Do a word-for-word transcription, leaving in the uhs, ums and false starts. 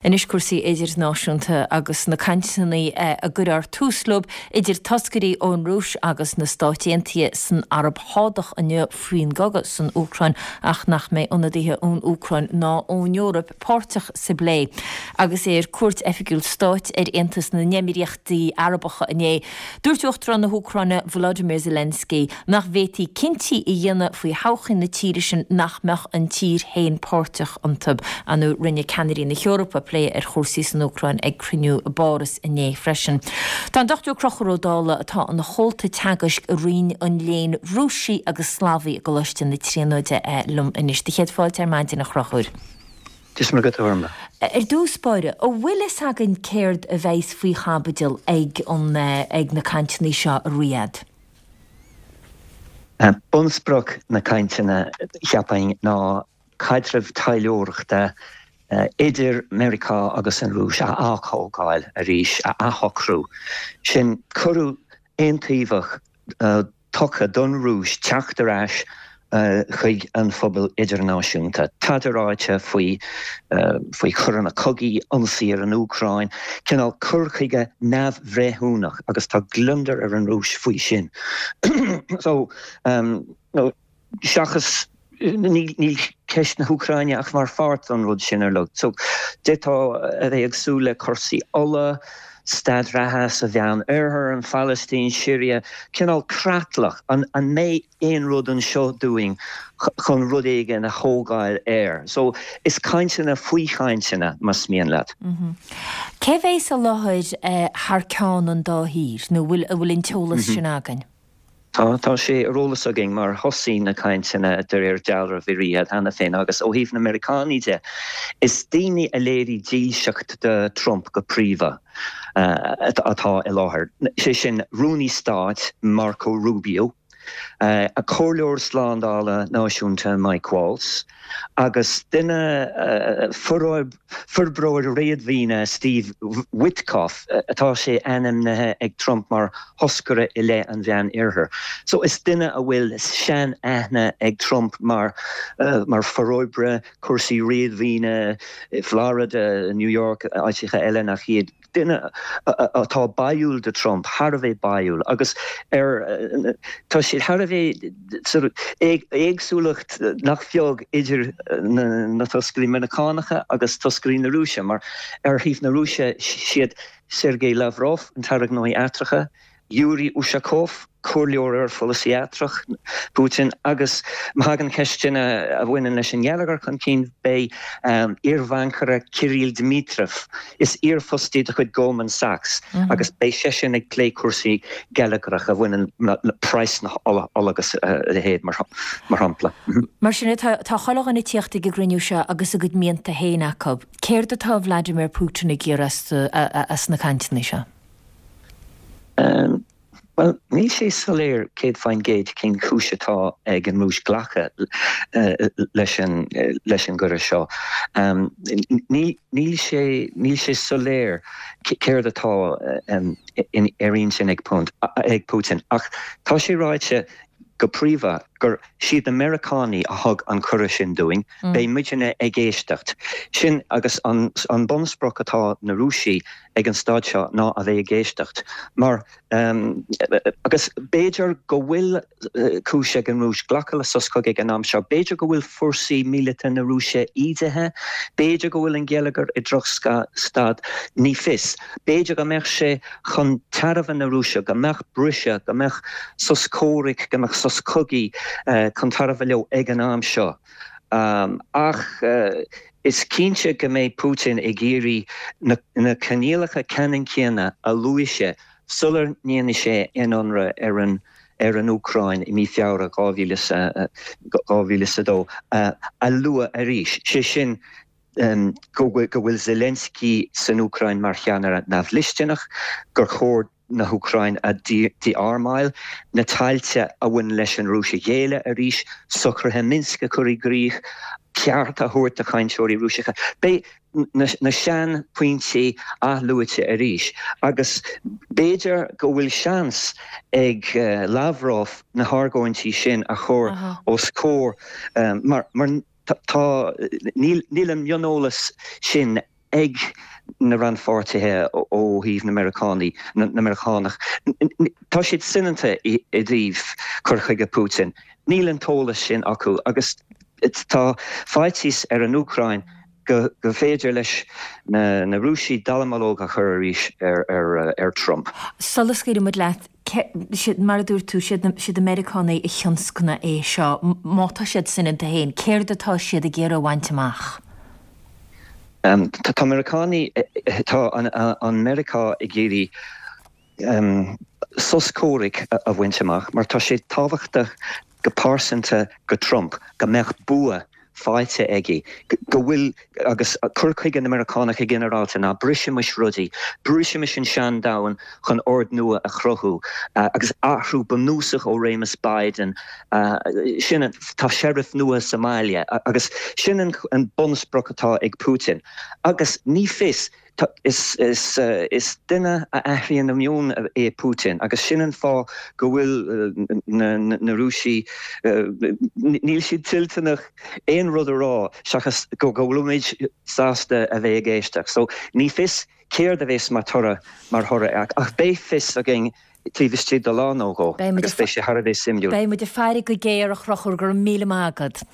Anois cúrsaí idirnáisiúnta agus na cainteanna a gcuirfear tús leo idir toscairí ón Rúis agus na Stáit Aontaithe san Araib Shádach inniu faoin gcogadh san Úcráin ach nach mbeidh ionadaithe ón Úcráin ná ón Eoraip páirteach sa bplé. Agus é ar cuairt oifigiúil stáit ar Aontas na nÉimíríochtaí Arabacha inné. Dúirt Uachtarán na hÚcráine Volodymyr Zelensky nach bhféadfaí cinntí a dhéanamh faoi thodhchaí na tíre sin nach mbeadh an tír féin páirteach iontu anu rinne ceannairí na hEorpa plé ar chúrsaí san Úcráin ag cruinniú i bPáras inné freisin. Tá an Dochtúir Conchúr Ó Dálaigh atá ina chomhalta teagaisc i Roinn an Léinn Rúisigh agus Slavaigh i gColáiste na Tríonóide liom anois. Do chéad fáilte ar maidin a Chonchúir. Dia is Muire dhuit. Ar dtús báire, an bhfuil fhios againn céard a bheas faoi chaibidil ag an ag na cainteanna seo i Riyadh? Bunsprioc na cainteanna cheapfainn ná caidreamh taidhleoireachta idir Meiriceá agus an Rúis a aththógáil arís a athshocrú. Sin cuireadh aontaobhach tugtha don Rúis teacht ar ais chuig an phobal idirnáisiúnta. Tada ráite faoi faoi choireanna cogaidh, ionsaí ar an Úcráin, cineál cur chuige neamhbhreithiúnach agus tá gliondar ar an Rúis faoi sin. So um, no, seachas níl ceist na hÚcráine ach mar pháirt an rud sin ar lug. So d'fhéadfá a bheith ag súil le cúrsaí ola, staid reatha sa Mheánoirthear, an Phalaistín, Siria, cineál creatlach an an mbeidh aon rud anseo dúinn chun rud éigin a thógáil air. So is cainteanna faoi chainteanna más mian leat. Mm -hmm. Cé bheas i láthair eh, thar ceann an dá thír nó bhfuil bhfuil an t-eolas mm -hmm. sin againn? Tá tá sé ar eolas againn mar thosaigh na cainteanna de réir dealraimh i Riyadh cheana féin agus ó thaobh na Meiriceánaigh de. Is daoine a léirigh dílseacht do Trump go príomha uh, atá i láthair. Sé sin rúnaí stáit Marco Rubio, uh, a comhairleoir slándála náisiúnta Mike Waltz, agus duine uh, forbróir réadmhaoine Steve Witkoff atá sé ainmnithe ag Trump mar thoscaire i leith an Mheánoirthir. So is duine a bhfuil sean-aithne ag Trump mar uh, mar forbróir cúrsaí réadmhaoine Florida, New York, áiteacha eile nach iad duine atá báúil do Trump thar a bheith báúil agus ar tá siad thar a bheith éagsúlacht nach beag idir na, na toscairí Meiriceánacha agus toscairí na Rúise mar ar thaobh na Rúise siad Sergei Lavrov an tAire Gnóthaí Eachtracha, Yuri Ushakov, comhairleoir ar pholasaí eachtrach Putin agus má thagann ceisteanna a bhaineann leis an ngeilleagar chun cinn beidh um, iarbhancaire Kirill Dmitriev is iarfhostaí de chuid Goldman Sachs mm -hmm. agus beidh sé sin ag plé cúrsaí geilleagracha a bhaineann le praghas na ola agus uh, a leithéid mar mar shampla. Mm -hmm. Mar sin tá chuile dhuine ag tíocht ag an gcruinniú seo agus a gcuid mianta féin acu. Céard atá Vladimir Putin ag iarraidh as na cainteanna seo? Um, Well, níl sé soiléir céad faoin gcéad cén chúis atá ag an Rúis glacadh uh, leis an uh, leis an gcuireadh seo. Um, níl sé níl sé soiléir céard atá um, in ar intinn ag ag Putin ach tá sé ráite go príomha gur siad na Meiriceánaigh a thug an cuireadh sin dúinn, mm. beidh muidne ag éisteacht. Sin agus an, an bunsprioc atá na Rúisigh ag an staid seo ná a bheith ag éisteacht. Mar um, agus b'fhéidir go bhfuil uh, cúis ag an Rúis glacadh le sos cogaidh ag an am seo, b'fhéidir go bhfuil fórsaí míleata na Rúise ídithe, b'fhéidir go bhfuil an geilleagar i drochstaid ní fios. B'fhéidir go mbeadh sé chun tairbhe na Rúise, go mbeadh briseadh, go mbeadh sos comhraic, go mbeadh sos cogaidh uh, chun tairbhe leo ag an am seo. Um, ach uh, is cinnte go mbeidh Putin ag iarraidh na, na coinníollacha ceannann céanna a luaigh sé sular ndearna sé an ionradh ar an ar an Úcráin i mí Feabhra dhá mhíle a dó a lua arís. sé sin um, go bhfuil Zelensky san Úcráin mar cheannaire neamhdhlisteanach gur chóir na hÚcráin a dí-armáil, na tailte a bhain leis an Rúis a ghéilleadh arís, socruithe Minsk a chur i gcrích, ceart a thabhairt do chainteoirí Rúiseacha. Beidh na, na seanphointí athluaite arís, agus b'fhéidir go bhfuil seans ag uh, Lavrov na hargóintí sin a chur uh -huh. os comhair um, mar, mar tá níl, níl an mioneolas sin ag na rannpháirtithe ó thaobh na Meiriceánaí na Meiriceánach. Tá siad soineanta i dtaobh cur chuige Putin. Níl an t-eolas sin acu agus tá faitíos ar an Úcráin go go féidir leis na na Rúisigh dallamullóg a chur arís ar ar ar Trump. Sula scaoilimid leat, mar a dúirt tú, siad na Meiriceánaigh a thionscnaigh é seo. Má tá siad soineanta féin, céard atá siad ag iarraidh a bhaint amach? Tá Meiriceánaigh tá an Meiriceá ag iarraidh sos comhraic a bhaint amach mar tá sé tábhachtach go pearsanta go Trump go mbeadh bua faighte aige go bhfuil agus cur chuige na Meiriceánach i ginearálta ná brisimis rudaí, brisimis an sean-domhan chun ord nua a chruthú agus athrú bunúsach ó réimeas Biden sin tá sheriff nua sa mbaile agus sin an bunsprioc atá ag Putin agus ní fios Is is duine a athraíonn a mheon é Putin agus sin an fáth go bhfuil na Rúisigh níl siad toilteanach aon rud a rá seachas go bhfuilimid sásta a bheith ag éisteacht. So ní fios céard a bheas mar toradh mar thoradh ach beidh fios againn taobh istigh de lá nó dhó agus beidh sé thar a bheith suimiúil. Beidh muid ag faire go géar a Chonchúir, go raibh míle maith agat.